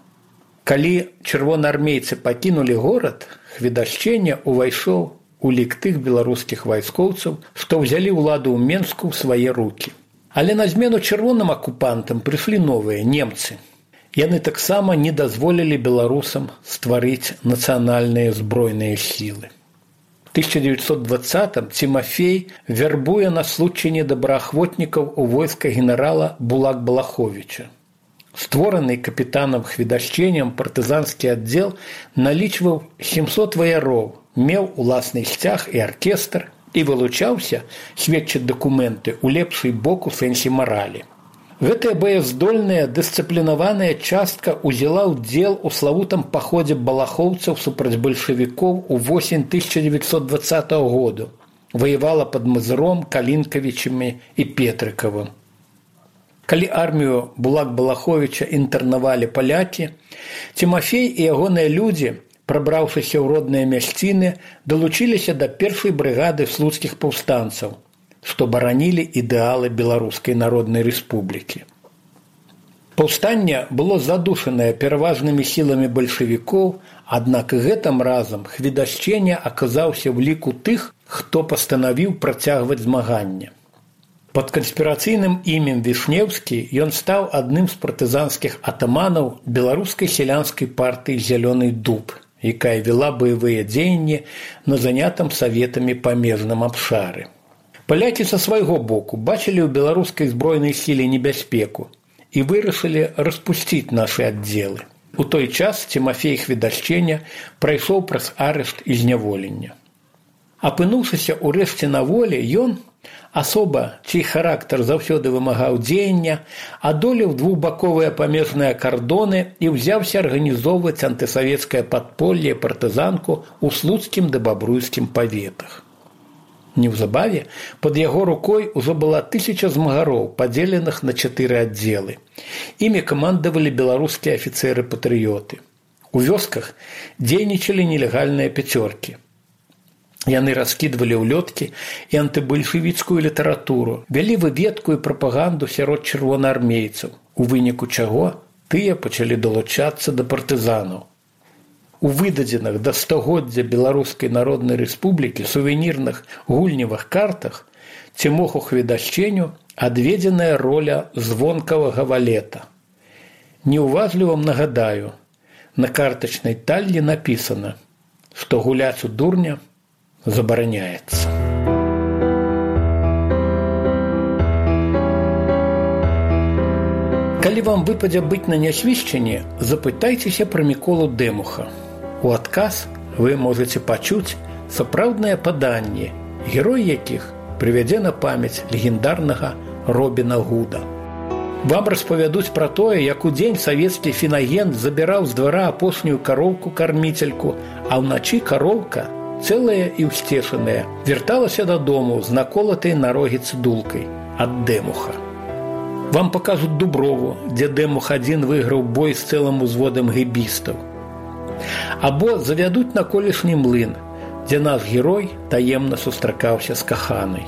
Калі чырвонаармейцы пакінулі горад, хведашчення ўвайшоў у лік тых беларускіх вайскоўцаў, што ўзялі ўладу ў Менску ў свае рукі. Але на змену чырвоным акупантам прыйшлі новыя немцы. Яны таксама не дазволілі беларусам стварыць нацыянальныя збройныя сілы. В 1920-м Тимофей вярбуе на случайне добраахвотнікаў у войска генерала Булак-Балаховича. Створаны капітанам Хведашчэнем партызанскі аддзел налічваў 700 ваяроў, меў уласны сцяг і аркестр і вылучаўся, сведчаць дакументы, у лепшы бок у сэнсе маралі. Гэтая баяздольная, дысцыплінаваная частка ўзяла ўдзел у славутым паходзе балахоўцаў супраць бальшавікоў у восень 1920 году. Ваявала пад Мазыром, Калінкавічамі і Петрыкавым. Калі армію Булак-Балаховича інтэрнавалі палякі, Тимофей і ягоныя людзі, прабраўшыся ў родныя мясціны, далучыліся да першай брыгады слуцкіх паўстанцаў, што баранілі ідэалы Беларускай Народнай Рэспублікі. Паўстанне было задушанае пераважнымі сіламі бальшавікоў, аднак гэтым разам Хведашчэня аказаўся ў ліку тых, хто пастанавіў працягваць змаганне. Пад канспірацыйным імем Вішнеўскі ён стаў адным з партызанскіх атаманаў беларускай сялянскай партыі «Зялёны дуб», якая вела баявыя дзеянні на занятым саветамі памежным абшары. Палякі са свайго боку бачылі ў беларускай збройнай сіле небяспеку і вырашылі распусціць нашы аддзелы. У той час Тимофей Хведашчэня прайшоў праз арышт і зняволення. Апынуўшыся ўрэшце на волі, ён, асоба, чый характар заўсёды вымагаў дзеяння, адолеў двухбаковыя памежныя кардоны і ўзяўся арганізоўваць антысавецкае падполле партызанку ў слуцкім ды бабруйскім паветах. Неўзабаве пад яго рукой ужо была 1000 змагароў, падзеленых на 4 аддзелы. Імі камандавалі беларускія афіцэры-патрыёты. У вёсках дзейнічалі нелегальныя пяцёркі. Яны раскідвалі ўлёткі і антыбальшавіцкую літаратуру, вялі выведку і прапаганду сярод чырвонаармейцаў, у выніку чаго тыя пачалі далучацца да партызанаў. У выдадзеных да стагоддзя Беларускай Народнай Рэспублікі сувенірных гульневых картах Тимоху Хведашчэню адведзеная роля звонкавага валета. Неуважліва нагадаю, на картачнай таллі напісана, што гуляць у дурня забараняецца. Калі вам выпадзе быць на нясвішчанні, запытайцеся пра Міколу Дэмуха. У адказ вы можаце пачуць сапраўднае паданне, герой якіх прывядзе на памяць легендарнага Робіна Гуда. Вам распавядуць пра тое, як удзень савецкі фінагент забіраў з двара апошнюю кароўку-карміцельку, а ўначы кароўка, цэлая і ўсцешаная, вярталася дадому з наколатай на рогі цыдулкай ад Дэмуха. Вам пакажуць Дуброву, дзе Дэмух адзін выйграў бой з цэлым узводам гэбістаў. Або завядуць на колішні млын, дзе наш герой таемна сустракаўся з каханай.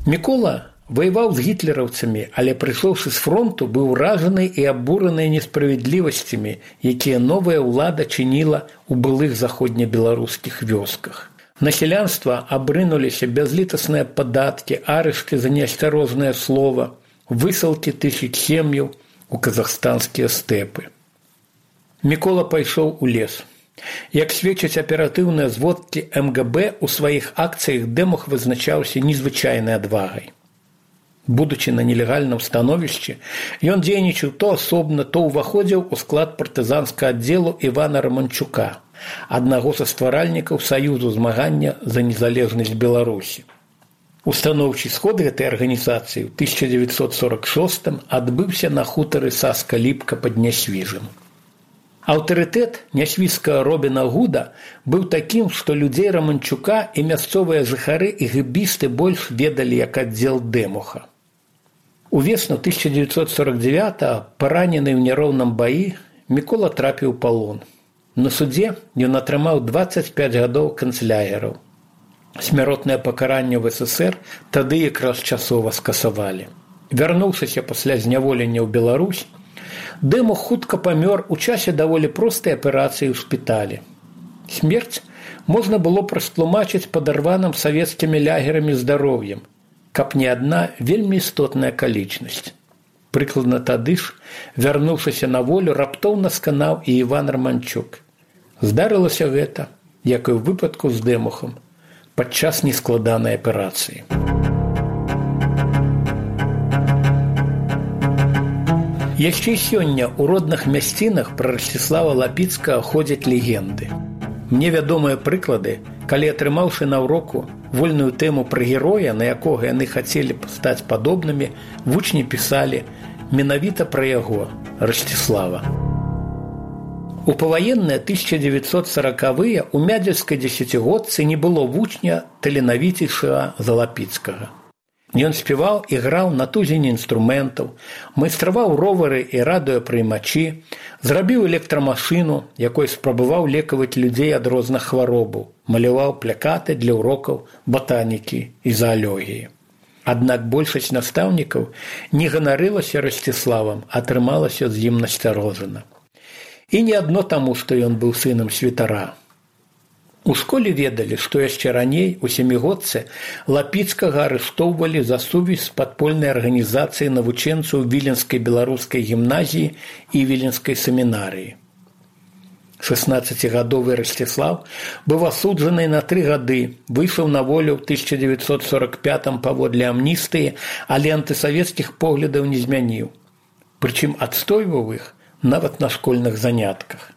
Мікола ваяваў з гітлераўцамі, але прыйшоўшы з фронту, быў уражаны і абураны несправядлівасцямі, якія новая ўлада чыніла ў былых заходнебеларускіх вёсках. На сялянства абрынуліся бязлітасныя падаткі, арышты за неасцярожнае слова, высылкі 1000 сем'яў у казахстанскія стэпы. Мікола пайшоў у лес. Як сведчаць аператыўныя зводкі МГБ, у сваіх акцыях Дэмух вызначаўся незвычайнай адвагай. Будучы на нелегальным становішчы, ён дзейнічаў то асобна, то ўваходзіў у склад партызанскага аддзелу Івана Раманчука, аднаго са стваральнікаў Саюзу змагання за незалежнасць Беларусі. Устаноўчы сход гэтай арганізацыі ў 1946 адбыўся на хутары Саска-Ліпка пад Нясвіжам. Аўтарытэт нясвіжскага Робіна Гуда быў такім, што людзей Раманчука і мясцовыя жыхары і гэбісты больш ведалі як аддзел Дэмуха. Увесну 1949-го, паранены ў няроўным баі, Мікола трапіў у палон. На судзе ён атрымаў 25 гадоў канцлягераў. Смяротнае пакаранне ў СССР тады якраз часова скасавалі. Вярнуўшыся пасля зняволення ў Беларусь, Дэмух хутка памёр у часе даволі простай аперацыі ў шпіталі. Смерць можна было растлумачыць падарваным савецкімі лягерамі здароўем, каб не адна вельмі істотная акалічнасць. Прыкладна тады ж, вярнуўшыся на волю, раптоўна сканаў і Іван Раманчук. Здарылася гэта, як і ў выпадку з Дэмухам, падчас нескладанай аперацыі. Яшчэ сёння ў родных мясцінах пра Расціслава Лапіцкага ходзяць легенды. Мне вядомыя прыклады, калі, атрымаўшы на ўроку вольную тэму пра героя, на якога яны хацелі б стаць падобнымі, вучні пісалі менавіта пра яго, Расціслава. У паваенныя 1940-е ў мядзельскай дзесяцігодцы не было вучня таленавіцейшага за Лапіцкага. Ён спяваў і граў на тузіне інструментаў, майстраваў ровары і радыёпрыймачы, зрабіў электрамашыну, якой спрабаваў лекаваць людзей ад розных хваробаў, маляваў плакаты для урокаў батанікі і заалогіі. Аднак большасць настаўнікаў не ганарылася Расціславам, а трымалася з ім насцярожана. І не адно таму, што ён быў сынам святара. У школе ведалі, што яшчэ раней, у сямігодцы, Лапіцкага арыштоўвалі за сувязь з падпольнай арганізацыяй навучэнцаў Віленскай беларускай гімназіі і Віленскай семінарыі. 16-гадовы Расціслав быў асуджаны на 3 гады, выйшаў на волю ў 1945 паводле амністыі, але антысавецкіх поглядаў не змяніў. Прычым адстойваў іх нават на школьных занятках.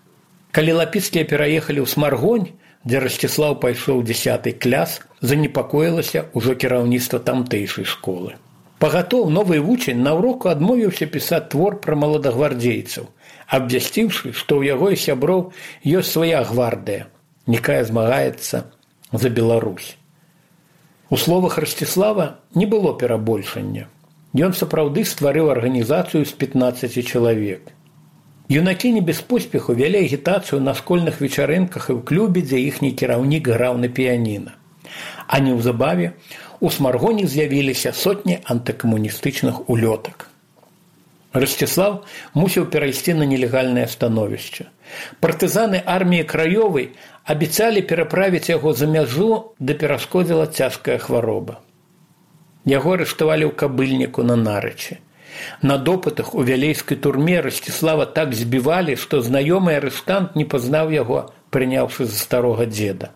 Калі Лапіцкія пераехалі ў Смаргонь, дзе Расціслаў пайшоў 10 клас, занепакоілася ўжо кіраўніцтва тамтэйшай школы. Пагатоў новы вучань на ўроку адмовіўся пісаць твор пра маладагвардзейцаў, абвясціўшы, што ў яго і сяброў ёсць свая гвардыя, якая змагаецца за Беларусь. У словах Расціслава не было перабольшання. Ён сапраўды стварыў арганізацыю з 15 чалавек. Юнакі не без поспеху вялі агітацыю на школьных вечарынках і ў клубе, дзе іхні кіраўнік граў на піяніна. А неўзабаве у Смаргоні з'явіліся сотні антыкамуністычных улётак. Расціслав мусіў перайсці на нелегальнае становішча. Партызаны арміі краёвай абяцалі пераправіць яго за мяжу, да перашкодзіла цяжкая хвароба. Яго арыштавалі ў Кабыльніку на Нарычы. На допытах у вялейскай турме Расціслава так збівалі, што знаёмы арыштант не пазнаў яго, прыняўшы за старога дзеда.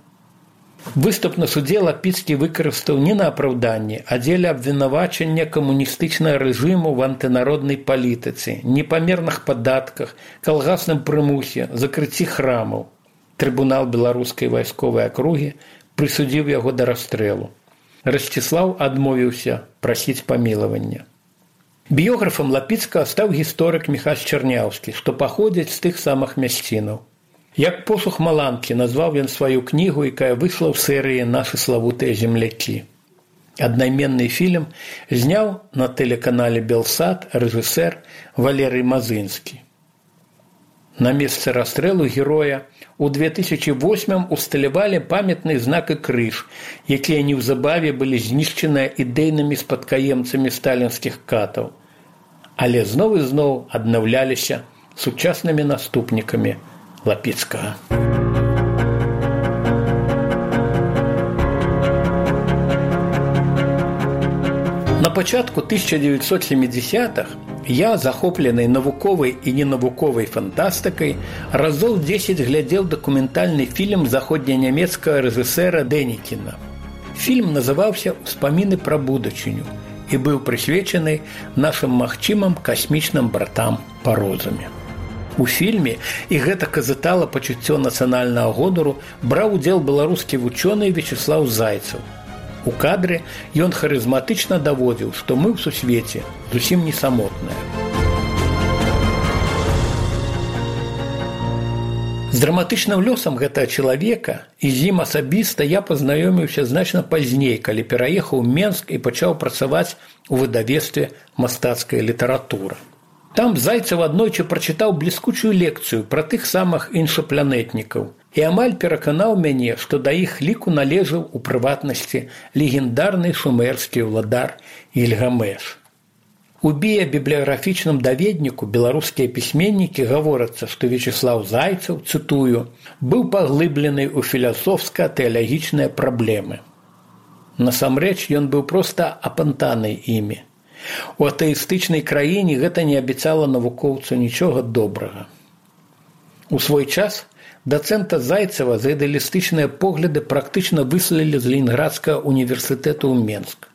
Выступ на судзе Лапіцкі выкарыстаў не на апраўданне, а дзеля абвінавачання камуністычнага рэжыму в антынароднай палітыцы, непамерных падатках, калгасным прымусе, закрыцці храмаў. Трыбунал беларускай вайсковай акругі прысудзіў яго да расстрэлу. Расціслаў адмовіўся прасіць памілавання. Біёграфам Лапіцкага стаў гісторык Міхась Чарняўскі, што паходзіць з тых самых мясцінаў. Як посух маланкі назваў ён сваю кнігу, якая выйшла ў серыі «Нашы славутыя землякі». Аднайменны фільм зняў на тэлеканале «Белсат» рэжысэр Валерый Мазынскі. На месцы расстрэлу героя у 2008 усталявалі памятны знак і крыж, якія неўзабаве былі знішчаныя ідэйнымі спадкаемцамі сталінскіх катаў, але зноў і зноў аднаўляліся сучаснымі наступнікамі Лапіцкага. На пачатку 1970-х я, захопленый навуковай і ненавуковай фантастыкай, разоў 10 глядзеў дакументальны фільм заходненямецкага рэжысэра Дэнікіна. Фільм называўся «Успаміны пра будучыню» і быў прысвечаны нашым магчымым касмічным братам па розуме. У фільме, і гэта казытала пачуццё нацыянальнага гонару, браў удзел беларускі вучоны Вячеслаў Зайцаў. У кадры ён харызматычна даводзіў, што мы ў сусвеце зусім не самотныя. З драматычным лёсам гэтага чалавека і з ім асабіста я пазнаёміўся значна пазней, калі пераехаў у Менск і пачаў працаваць у выдавецтве «Мастацкая літаратура». Там Зайцаў аднойчы прачытаў бліскучую лекцыю пра тых самых іншапланетнікаў і амаль пераканаў мяне, што да іх ліку належаў у прыватнасці легендарны шумерскі ўладар Ільгамеш. У біябібліяграфічным даведніку беларускія пісьменнікі гаворацца, што Вячеслаў Зайцаў, цытую, быў паглыблены ў філасофска-тэалагічныя праблемы. Насамрэч, ён быў проста апантаны імі. У атэістычнай краіне гэта не абяцала навукоўцу нічога добрага. У свой час дацэнта Зайцева за ідэалістычныя погляды практычна выселілі з Ленінградскага універсітэту ў Менск.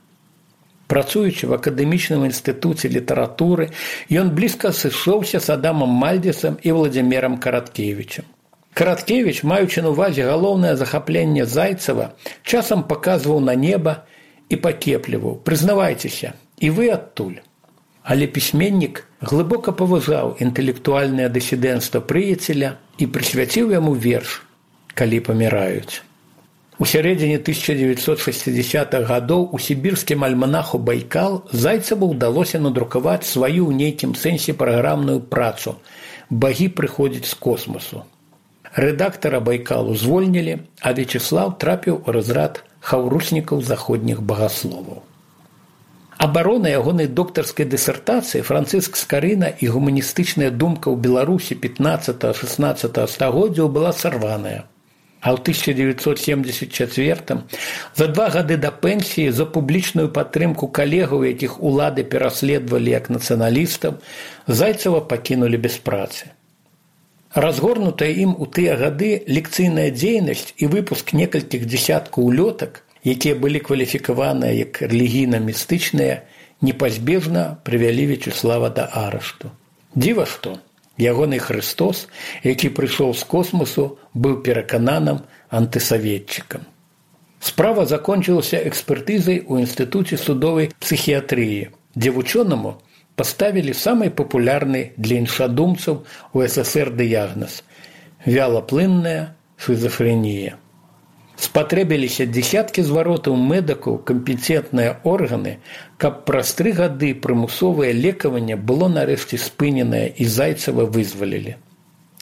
Працуючы в акадэмічным інстытуце літаратуры, ён блізка сышоўся з Адамам Мальдзесам і Владзімірам Караткевічам. Караткевіч, маючы на ўвазе галоўнае захапленне Зайцева, часам паказваў на неба і пакепліваў: «Прызнавайцеся, і вы адтуль». Але пісьменнік глыбока паважаў інтэлектуальнае дысідэнцтва прыяцеля і прысвяціў яму верш «Калі паміраюць». У сярэдзіне 1960-х гадоў у сібірскім альманаху «Байкал» Зайцеву ўдалося надрукаваць сваю ў нейкім сэнсе праграмную працу «Багі прыходзяць з космасу». Рэдактара «Байкалу» звольнілі, а Вячеслаў трапіў у разрад хаўруснікаў заходніх багасловаў. Абарона ягонай доктарскай дысертацыі Францыск Скарына і гуманістычная думка ў Беларусі 15-16 стагоддзяў была сарваная. А ў 1974 за 2 гады да пенсіі за публічную падтрымку калегаў, якіх улады пераследавалі як нацыяналістаў, Зайцева пакінулі без працы. Разгорнутая ім у тыя гады лекцыйная дзейнасць і выпуск некалькіх дзесяткаў улётак, якія былі кваліфікаваныя як рэлігійна-містычныя, непазбежна прывялі Вячеслава да арышту. Дзіва што, ягоны Хрыстос, які прыйшоў з космосу, быў перакананым антысаветчыкам. Справа закончылася экспертызай у Інстытуце судовай псіхіятрыі, дзе вучонаму паставілі самы папулярны для іншадумцаў у СССР дыягназ – вялаплынная шизофрэнія. Спатрэбіліся дзесяткі зваротаў медыкаў, кампетэнтныя органы, каб праз 3 гады прымусовае лекаванне было нарэшце спыненае і Зайцева вызвалілі.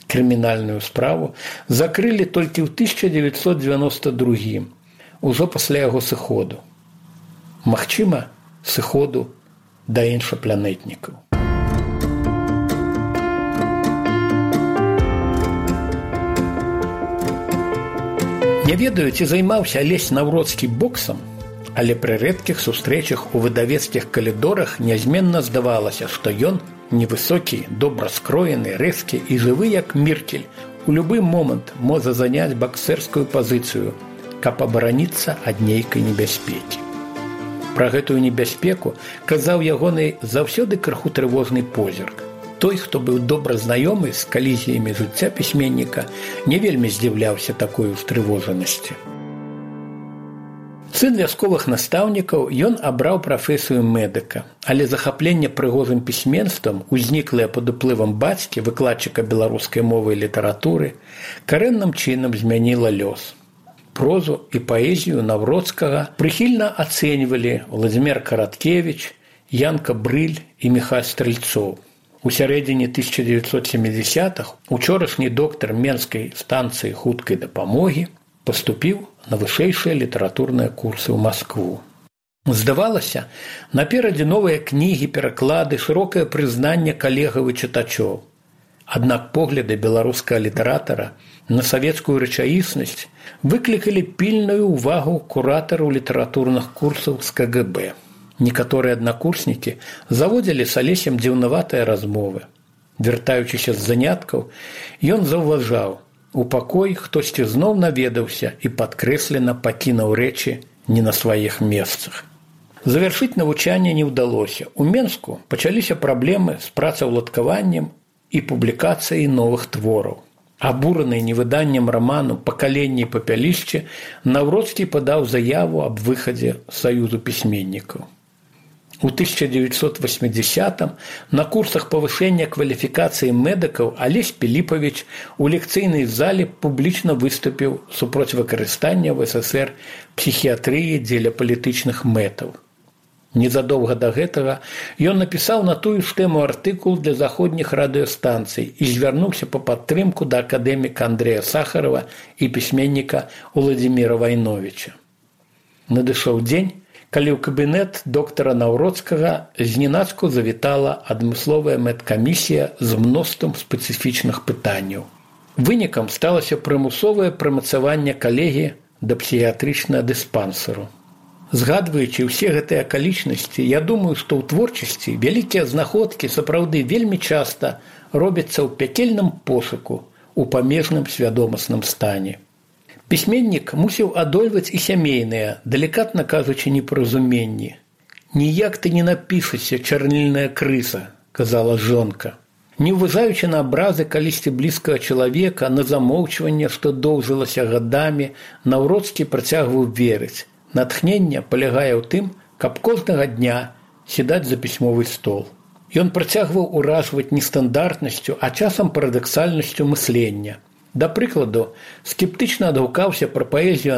Крымінальную справу закрылі толькі ў 1992, ужо пасля яго сыходу. Магчыма, сыходу да іншапланетнікаў. Не ведаю, ці займаўся Алесь Наўроцкі боксам, але пры рэдкіх сустрэчах у выдавецкіх калідорах нязменна здавалася, што ён невысокі, добра скроены, рэзкі і жывы як Міркель, у любы момант можа заняць баксерскую пазіцыю, каб абараніцца ад нейкай небяспекі. Пра гэтую небяспеку казаў ягоны заўсёды крыху трывожны позірк. Той, хто быў добра знаёмы з калізіямі жыцця пісьменніка, не вельмі здзіўляўся такой устрывожанасці. Сын вясковых настаўнікаў, ён абраў прафесію медыка, але захапленне прыгожым пісьменствам, узніклае пад уплывам бацькі, выкладчыка беларускай мовы і літаратуры, карэнным чынам змяніла лёс. Прозу і паэзію Наўроцкага прыхільна ацэньвалі Владзімір Караткевіч, Янка Брыль і Міхась Стрэльцоў. У сярэдзіне 1970-х учорашні доктар Менскай станцыі хуткай дапамогі паступіў на вышэйшыя літаратурныя курсы ў Маскву. Здавалася, наперадзе новыя кнігі, пераклады, шырокае прызнанне калегаў і чытачоў. Аднак погляды беларускага літаратара на савецкую рэчаіснасць выклікалі пільную ўвагу куратараў літаратурных курсаў з КГБ. Некаторыя аднакурснікі заводзілі з Алесем дзіўнаватыя размовы. Вяртаючыся з заняткаў, ён заўважаў, у пакой хтосьці зноў наведаўся і падкрэслена пакінуў рэчы не на сваіх месцах. Завяршыць навучанне не ўдалося. У Менску пачаліся праблемы з працаўладкаваннем і публікацыяй новых твораў. Абураны невыданнем раману «Пакаленне і папялішчы», Наўроцкі падаў заяву аб выхадзе з Саюзу пісьменнікаў. У 1980-м на курсах павышэння кваліфікацыі медыкаў Алесь Піліпавіч у лекцыйнай зале публічна выступіў супроць выкарыстання ў СССР псіхіятрыі дзеля палітычных мэтаў. Незадоўга да гэтага ён напісаў на тую ж тэму артыкул для заходніх радыёстанцый і звярнуўся па падтрымку да акадэміка Андрэя Сахарова і пісьменніка Уладзіміра Вайновіча. Надышоў дзень, калі ў кабінет доктара Наўроцкага зненацку завітала адмысловая медкамісія з мноствам спецыфічных пытанняў. Вынікам сталася прымусовае прымацаванне калегі да псіхіятрычнага дыспансеру. Згадваючы ўсе гэтыя акалічнасці, я думаю, што ў творчасці вялікія знаходкі сапраўды вельмі часта робяцца ў пякельным пошуку, у памежным свядомасным стане. Пісьменнік мусіў адольваць і сямейныя, далікатна кажучы, непаразуменні. «Ніяк ты не напішешся, чарнільная крыса», – казала жонка. Не ўважаючы на абразы калісьці блізкага чалавека, на замоўчванне, што доўжылася гадамі, Наўроцкі працягваў верыць. Натхненне палягае ў тым, каб кожнага дня сядаць за пісьмовы стол. Ён працягваў уражваць нестандартнасцю, а часам парадаксальнасцю мыслення. Да прыкладу, скептычна адгукаўся пра паэзію